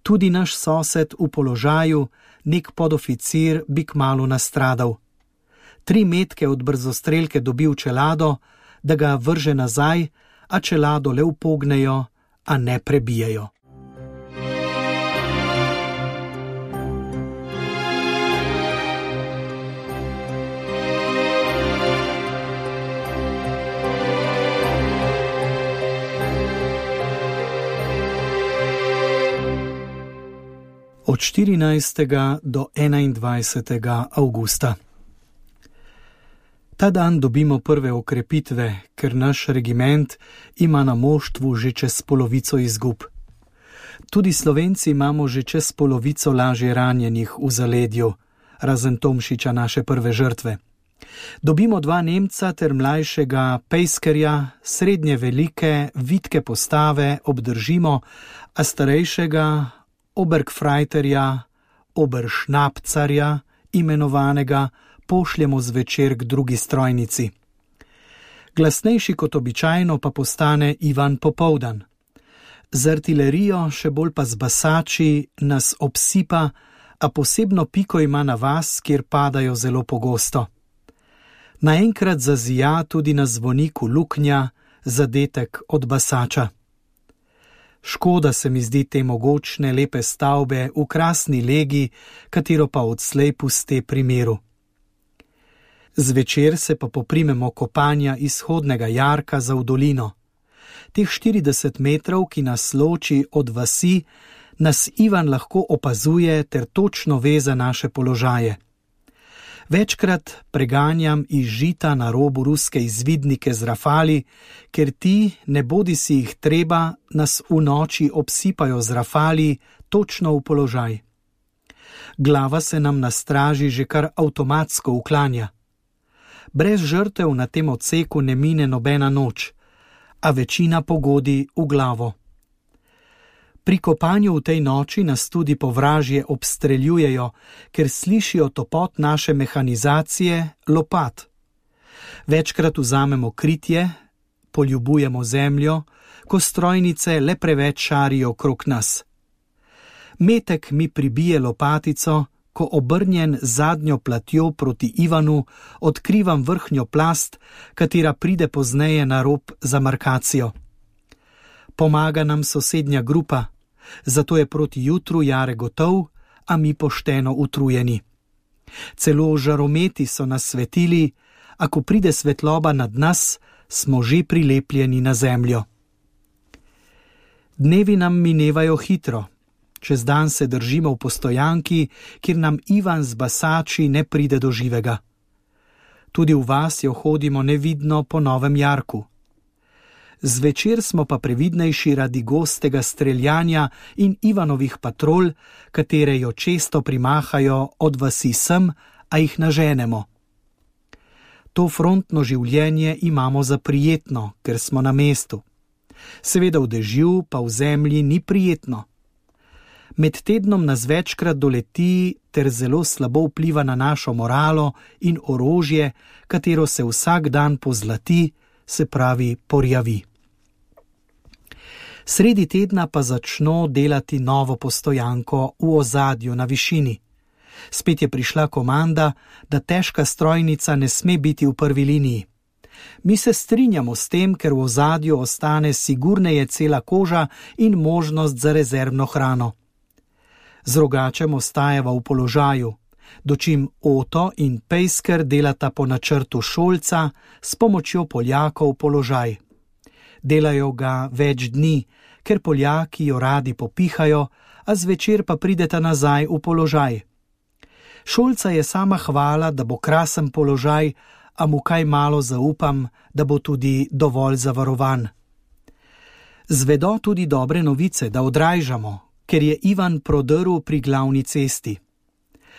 Speaker 2: Tudi naš sosed v položaju, nek podoficir, bi kmalu nastradal. 3 metke od brzostrelke dobi v čelado, da ga vrže nazaj, a čelado le upognejo, a ne prebijejo. Od 14. do 21. avgusta. Ta dan dobimo prve okrepitve, ker naš regiment ima na moštvu že čez polovico izgub. Tudi Slovenci imamo že čez polovico lažje ranjenih v zaledju, razen Tomšiča, naše prve žrtve. Dobimo 2 Nemca ter mlajšega pejskerja, srednje velike, vitke postave obdržimo, a starejšega obergfreiterja, oberšnapcarja, imenovanega, pošljemo zvečer k drugi strojnici. Glasnejši kot običajno pa postane Ivan popoldan. Z artilerijo, še bolj pa z basači, nas obsipa, a posebno piko ima na vas, kjer padajo zelo pogosto. Naenkrat zazija tudi na zvoniku luknja, zadetek od basača. Škoda se mi zdi te mogočne, lepe stavbe v krasni legi, katero pa odslej puste pri miru. Zvečer se pa poprimemo kopanja izhodnega jarka za v dolino. Teh 40 metrov, ki nas loči od vasi, nas Ivan lahko opazuje ter točno ve za naše položaje. Večkrat preganjam iz žita na robu ruske izvidnike z rafali, ker ti, ne bodi si jih treba, nas v noči obsipajo z rafali točno v položaj. Glava se nam na straži že kar avtomatsko uklanja. Brez žrtev na tem odseku ne mine nobena noč, a večina pogodi v glavo. Pri kopanju v tej noči nas tudi povražje obstreljujejo, ker slišijo topot naše mehanizacije, lopat. Večkrat vzamemo kritje, poljubujemo zemljo, ko strojnice le preveč šarijo okrog nas. Metek mi pribije lopatico, ko obrnjen zadnjo platjo proti Ivanu odkrivam vrhnjo plast, katera pride pozneje na rob za markacijo. Pomaga nam sosednja grupa, zato je proti jutru Jare gotov, a mi pošteno utrujeni. Celo žarometi so nas svetili, a ko pride svetloba nad nas, smo že prilepljeni na zemljo. Dnevi nam minevajo hitro. Čez dan se držimo v postojanki, kjer nam Ivan z basači ne pride do živega. Tudi v vas jo hodimo nevidno po Novem jarku. Zvečer smo pa previdnejši radi gostega streljanja in Ivanovih patrol, katere jo često primahajo od vasi sem, a jih naženemo. To frontno življenje imamo za prijetno, ker smo na mestu. Seveda v dežju pa v zemlji ni prijetno. Med tednom nas večkrat doleti ter zelo slabo vpliva na našo moralo in orožje, katero se vsak dan pozlati, se pravi porjavi. Sredi tedna pa začno delati novo postojanko v ozadju na višini. Spet je prišla komanda, da težka strojnica ne sme biti v prvi liniji. Mi se strinjamo s tem, ker v ozadju ostane sigurneje cela koža in možnost za rezervno hrano. Z rogačem ostajava v položaju, dočim Oto in Pejsker delata po načrtu Šolca s pomočjo Poljakov položaj. Delajo ga več dni, ker Poljaki jo radi popihajo, a zvečer pa prideta nazaj v položaj. Šolca je sama hvala, da bo krasen položaj, a mu kaj malo zaupam, da bo tudi dovolj zavarovan. Zvedo tudi dobre novice, da odrajžamo, ker je Ivan prodrl pri glavni cesti.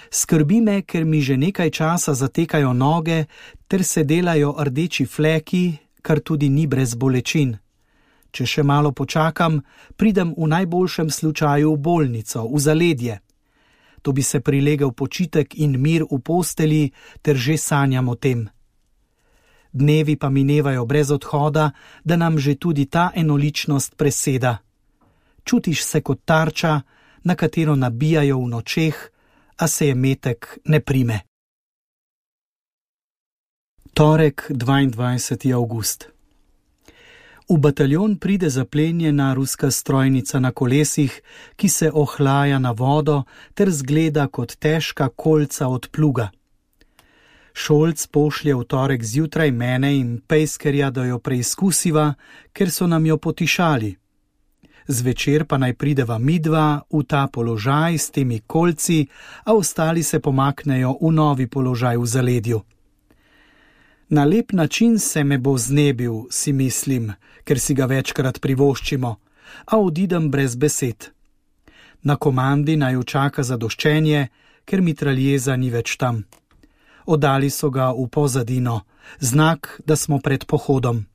Speaker 2: Skrbi me, ker mi že nekaj časa zatekajo noge, ter se delajo rdeči fleki, kar tudi ni brez bolečin. Če še malo počakam, pridem v najboljšem slučaju v bolnico, v zaledje. To bi se prilegel počitek in mir v posteli, ter že sanjam o tem. Dnevi pa minevajo brez odhoda, da nam že tudi ta enoličnost preseda. Čutiš se kot tarča, na katero nabijajo v nočeh, a se je metek ne prime. Torek, 22. avgust. V bataljon pride zaplenjena ruska strojnica na kolesih, ki se ohlaja na vodo ter zgleda kot težka kolca od pluga. Šolc pošlje v torek zjutraj mene in Pejskerja, da jo preizkusiva, ker so nam jo potišali. Zvečer pa naj prideva midva v ta položaj s temi kolci, a ostali se pomaknejo v novi položaj v zaledju. Na lep način se me bo znebil, si mislim, ker si ga večkrat privoščimo, a odidem brez besed. Na komandi naj čaka zadoščenje, ker mitraljeza ni več tam. Oddali so ga v pozadino, znak, da smo pred pohodom.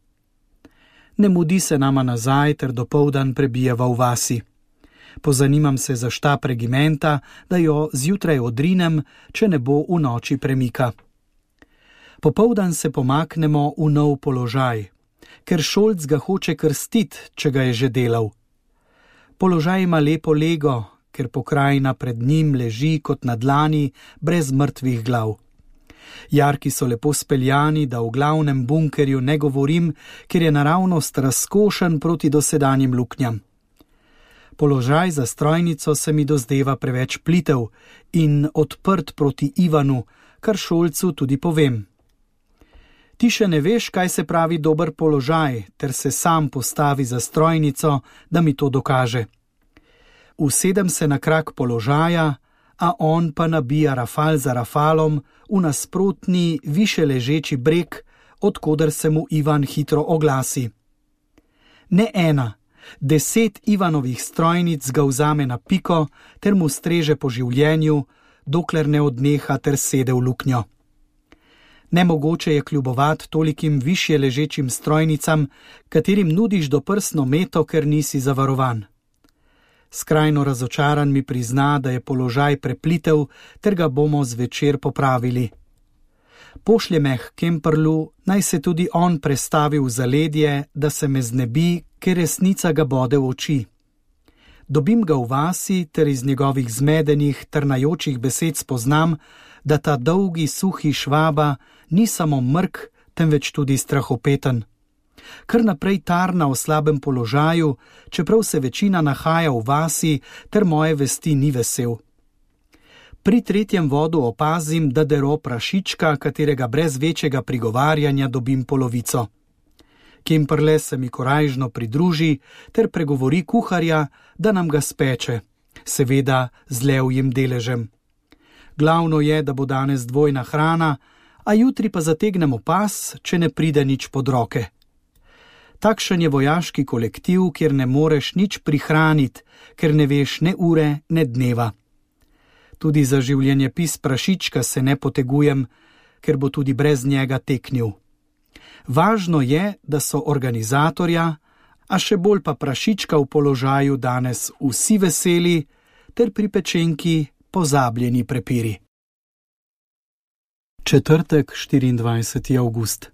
Speaker 2: Ne mudi se nama nazaj, ter dopoldan prebijeva v vasi. Pozanimam se za štab regimenta, da jo zjutraj odrinem, če ne bo v noči premika. Popoldan se pomaknemo v nov položaj, ker Šolc ga hoče krstit, če ga je že delal. Položaj ima lepo lego, ker pokrajina pred njim leži kot na dlani, brez mrtvih glav. Jarki so lepo speljani, da v glavnem bunkerju ne govorim, ker je naravnost razkošen proti dosedanjim luknjam. Položaj za strojnico se mi dozdeva preveč plitev in odprt proti Ivanu, kar Šolcu tudi povem. Ti še ne veš, kaj se pravi dober položaj, ter se sam postavi za strojnico, da mi to dokaže. Usedem se na krak položaja, a on pa nabija rafal za rafalom v nasprotni, više ležeči breg, odkoder se mu Ivan hitro oglasi. Ne ena, 10 Ivanovih strojnic ga vzame na piko ter mu streže po življenju, dokler ne odneha ter sede v luknjo. Nemogoče je kljubovat tolikim višje ležečim strojnicam, katerim nudiš doprsno meto, ker nisi zavarovan. Skrajno razočaran mi prizna, da je položaj preplitev, ter ga bomo zvečer popravili. Pošlje me k Kemperlu, naj se tudi on prestavi v zaledje, da se me znebi, ker resnica ga bode v oči. Dobim ga v vasi, ter iz njegovih zmedenih, trnajočih besed spoznam, da ta dolgi, suhi Švaba ni samo mrk, temveč tudi strahopeten. Kar naprej tarna o slabem položaju, čeprav se večina nahaja v vasi, ter moje vesti ni vesel. Pri 3. vodu opazim, da dero prašička, katerega brez večjega prigovarjanja dobim polovico. Kemperle se mi korajžno pridruži, ter pregovori kuharja, da nam ga speče, seveda z levjim deležem. Glavno je, da bo danes dvojna hrana, a jutri pa zategnemo pas, če ne pride nič pod roke. Takšen je vojaški kolektiv, kjer ne moreš nič prihraniti, ker ne veš ne ure, ne dneva. Tudi za življenjepis prašička se ne potegujem, ker bo tudi brez njega teknil. Važno je, da so organizatorja, a še bolj pa prašička v položaju danes vsi veseli, ter pri pečenki pozabljeni prepiri. Četrtek, 24. avgust.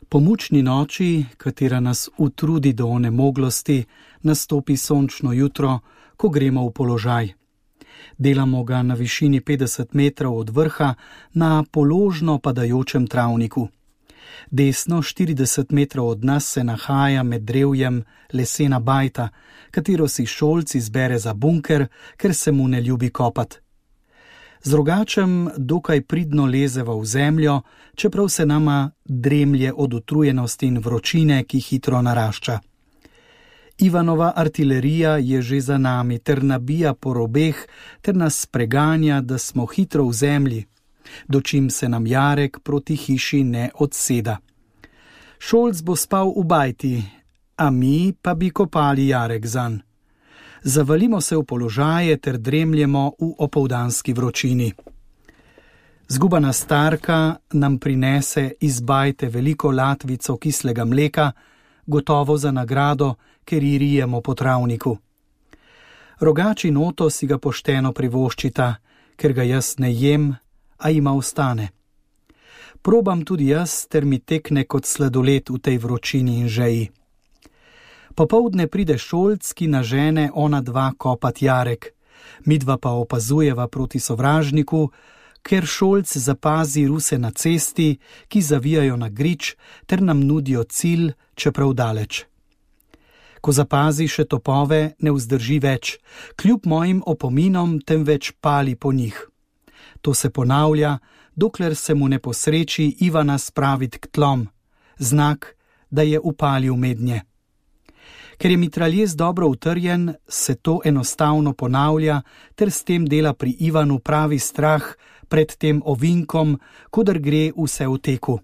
Speaker 2: Po mučni noči, katera nas utrudi do onemoglosti, nastopi sončno jutro, ko gremo v položaj. Delamo ga na višini 50 metrov od vrha na položno padajočem travniku. Desno 40 metrov od nas se nahaja med drevjem lesena bajta, katero si Šolc izbere za bunker, ker se mu ne ljubi kopati. Z Rogačem dokaj pridno lezeva v zemljo, čeprav se nama dremlje od utrujenosti in vročine, ki hitro narašča. Ivanova artilerija je že za nami, ter nabija po robeh, ter nas preganja, da smo hitro v zemlji, dočim se nam jarek proti hiši ne odseda. Šolc bo spal v bajti, a mi pa bi kopali jarek zanj. Zavalimo se v položaje ter dremljemo v opoldanski vročini. Zgubana starka nam prinese iz bajte veliko latvico kislega mleka, gotovo za nagrado, ker ji rijemo po travniku. Rogač in Oto si ga pošteno privoščita, ker ga jaz ne jem, a ima ostane. Probam tudi jaz, ter mi tekne kot sladoled v tej vročini in žeji. Popoldne pride Šolc, ki nažene ona dva kopat jarek, midva pa opazujeva proti sovražniku, ker Šolc zapazi ruse na cesti, ki zavijajo na grič, ter nam nudijo cilj, čeprav daleč. Ko zapazi še topove, ne vzdrži več, kljub mojim opominom, temveč pali po njih. To se ponavlja, dokler se mu ne posreči Ivana spraviti k tlom, znak, da je upalil mednje. Ker je mitraljez dobro utrjen, se to enostavno ponavlja, ter s tem dela pri Ivanu pravi strah pred tem ovinkom, kodr gre vse v teku.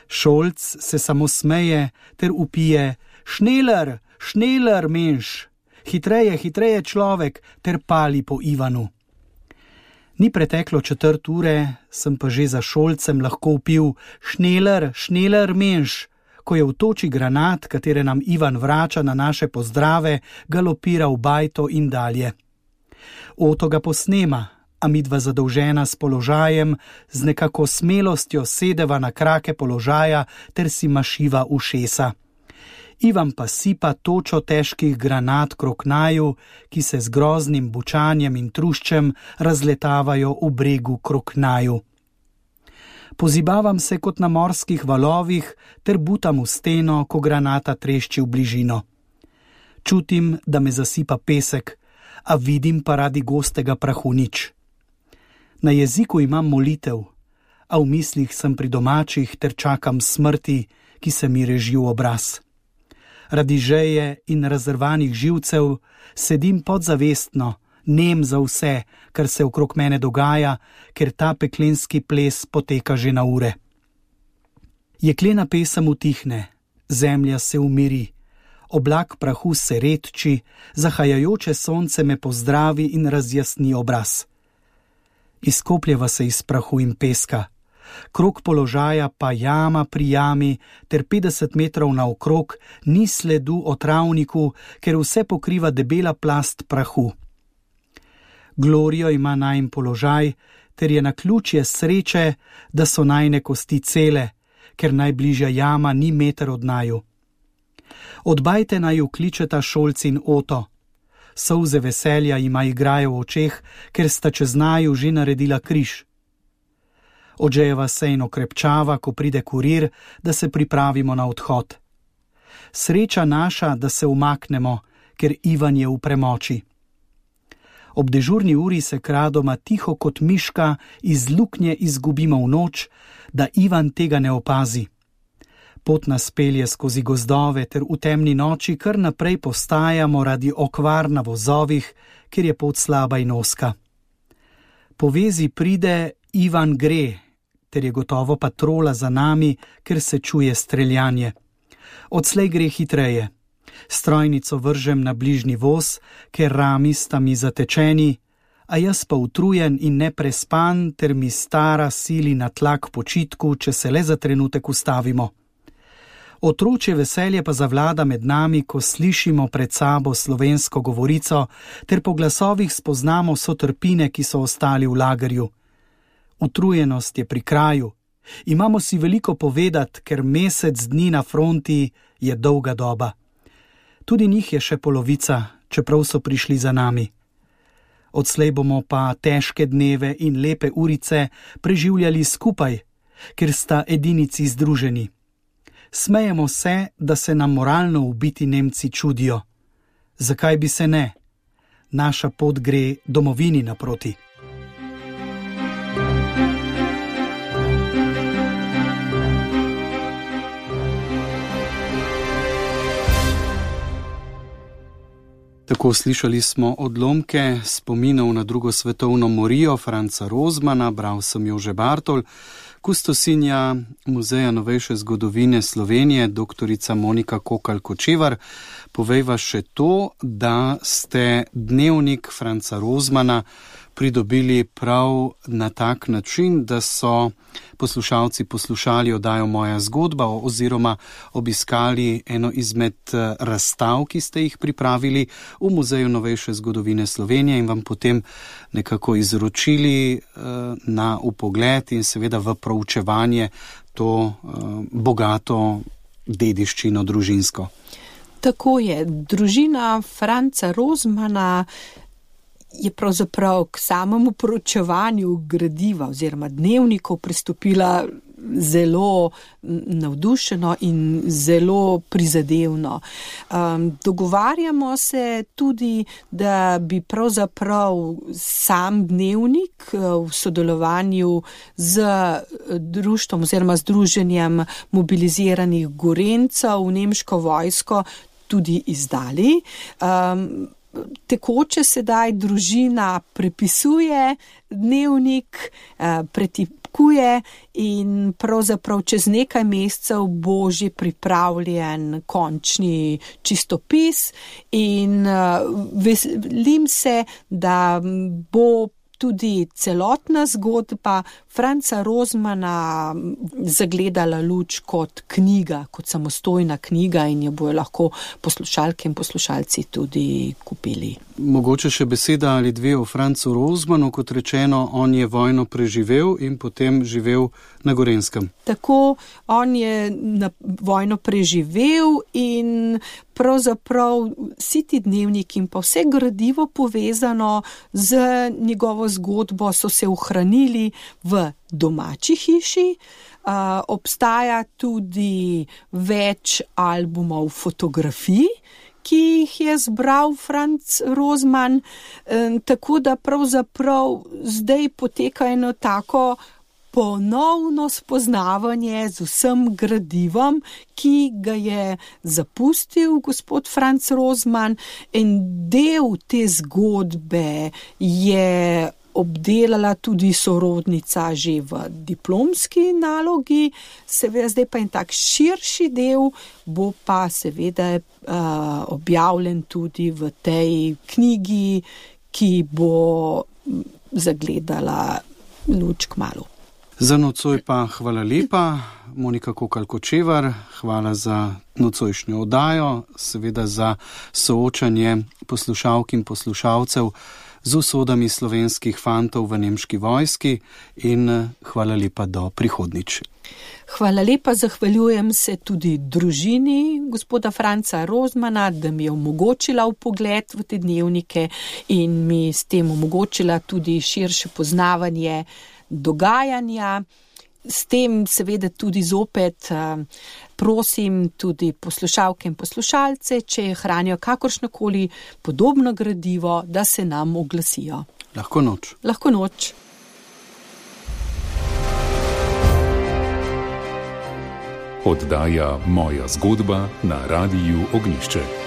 Speaker 2: Šolc se samo smeje, ter upije: Šneler, šneler, menš! Hitreje, hitreje, človek, ter pali po Ivanu. Ni preteklo 1/4 ure, sem pa že za Šolcem lahko vpil: Šneler, šneler, menš! Ko je v toči granat, katere nam Ivan vrača na naše pozdrave, galopira v bajto in dalje. Oto ga posnema, a midva zadolžena s položajem, z nekako smelostjo sedeva na krake položaja ter si mašiva ušesa. Ivan pa sipa točo težkih granat krok naju, ki se z groznim bučanjem in truščem razletavajo v bregu krok naju. Pozibavam se kot na morskih valovih ter butam v steno, ko granata trešči v bližino. Čutim, da me zasipa pesek, a vidim pa radi gostega prahu nič. Na jeziku imam molitev, a v mislih sem pri domačih ter čakam smrti, ki se mi reži v obraz. Radi žeje in razrvanih živcev sedim podzavestno, nem za vse, kar se okrog mene dogaja, ker ta peklenski ples poteka že na ure. Jeklena pesem utihne, zemlja se umiri, oblak prahu se redči, zahajajoče sonce me pozdravi in razjasni obraz. Izkopljeva se iz prahu in peska, krog položaja pa jama pri jami, ter 50 metrov naokrog ni sledu o travniku, ker vse pokriva debela plast prahu. Glorijo ima najin položaj, ter je naključje sreče, da so najne kosti cele, ker najbližja jama ni meter od naju. Od bajte naju kličeta Šolc in Oto. Solze veselja jima igrajo v očeh, ker sta čez naju že naredila križ. Odžejeva se in okrepčava, ko pride kurir, da se pripravimo na odhod. Sreča naša, da se umaknemo, ker Ivan je v premoči. Ob dežurni uri se kradoma tiho kot miška iz luknje izgubimo v noč, da Ivan tega ne opazi. Pot nas pelje skozi gozdove ter v temni noči kar naprej postajamo radi okvar na vozovih, ker je pot slaba in ozka. Po vezi pride Ivan gre, ter je gotovo patrola za nami, ker se čuje streljanje. Odslej gre hitreje. Strojnico vržem na bližnji voz, ker rami sta mi zatečeni, a jaz pa utrujen in neprespan, ter mi stara sili na tlak počitku, če se le za trenutek ustavimo. Otročje veselje pa zavlada med nami, ko slišimo pred sabo slovensko govorico, ter po glasovih spoznamo sotrpine, ki so ostali v lagerju. Utrujenost je pri kraju. Imamo si veliko povedati, ker mesec dni na fronti je dolga doba. Tudi njih je še polovica, čeprav so prišli za nami. Odslej bomo pa težke dneve in lepe urice preživljali skupaj, ker sta edinici združeni. Smejemo se, da se nam moralno ubiti Nemci čudijo. Zakaj bi se ne? Naša pot gre domovini naproti.
Speaker 1: Tako slišali smo odlomke spominov na drugo svetovno morijo Franca Rozmana, bral sem Jože Bartol, kustosinja Muzeja novejše zgodovine Slovenije, doktorica Monika Kokalj-Kočevar. Povejva še to, da ste dnevnik Franca Rozmana pridobili prav na tak način, da so poslušalci poslušali oddajo Moja zgodba oziroma obiskali eno izmed razstav, ki ste jih pripravili v Muzeju novejše zgodovine Slovenije in vam potem nekako izročili na vpogled in seveda v proučevanje to bogato dediščino družinsko.
Speaker 3: Tako je. Družina Franca Rozmana je pravzaprav k samemu proučevanju gradiva oziroma dnevnikov pristopila zelo navdušeno in zelo prizadevno. Dogovarjamo se tudi, da bi pravzaprav sam dnevnik v sodelovanju z društvom oziroma združenjem mobiliziranih Gorencev v nemško vojsko tudi izdali. Tekoče sedaj družina prepisuje dnevnik, pretipkuje in pravzaprav čez nekaj mesecev bo že pripravljen končni čistopis in veselim se, da bo tudi celotna zgodba Franca Rozmana zagledala luč kot knjiga, kot samostojna knjiga in jo bojo lahko poslušalke in poslušalci tudi kupili.
Speaker 1: Mogoče še beseda ali dve o Francu Rozmanu, kot rečeno, on je vojno preživel in potem živel na Gorenjskem.
Speaker 3: Tako, on je vojno preživel in pravzaprav vsi ti dnevniki in pa vse gradivo povezano z njegovo zgodbo so se ohranili v domači hiši. Obstaja tudi več albumov fotografij, ki jih je zbral Franz Rozman, tako da pravzaprav zdaj poteka eno tako ponovno spoznavanje z vsem gradivom, ki ga je zapustil gospod Franz Rozman, in del te zgodbe je obdelala tudi sorodnica že v diplomski nalogi, seveda zdaj pa en tak širši del bo pa seveda objavljen tudi v tej knjigi, ki bo zagledala luč kmalu.
Speaker 2: Za nocoj pa hvala lepa, Monika Kokalj-Kočevar, hvala za nocojšnjo oddajo, seveda za soočanje poslušalk in poslušalcev z usodami slovenskih fantov v nemški vojski in hvala lepa do prihodnjič.
Speaker 3: Hvala lepa, zahvaljujem se tudi družini gospoda Franca Rozmana, da mi je omogočila vpogled v te dnevnike in mi s tem omogočila tudi širše poznavanje dogajanja. S tem seveda tudi zopet prosim tudi poslušalke in poslušalce, če hranijo kakršnokoli podobno gradivo, da se nam oglasijo.
Speaker 2: Lahko noč.
Speaker 3: Lahko noč.
Speaker 4: Oddaja Moja zgodba na Radiu Ognjišče.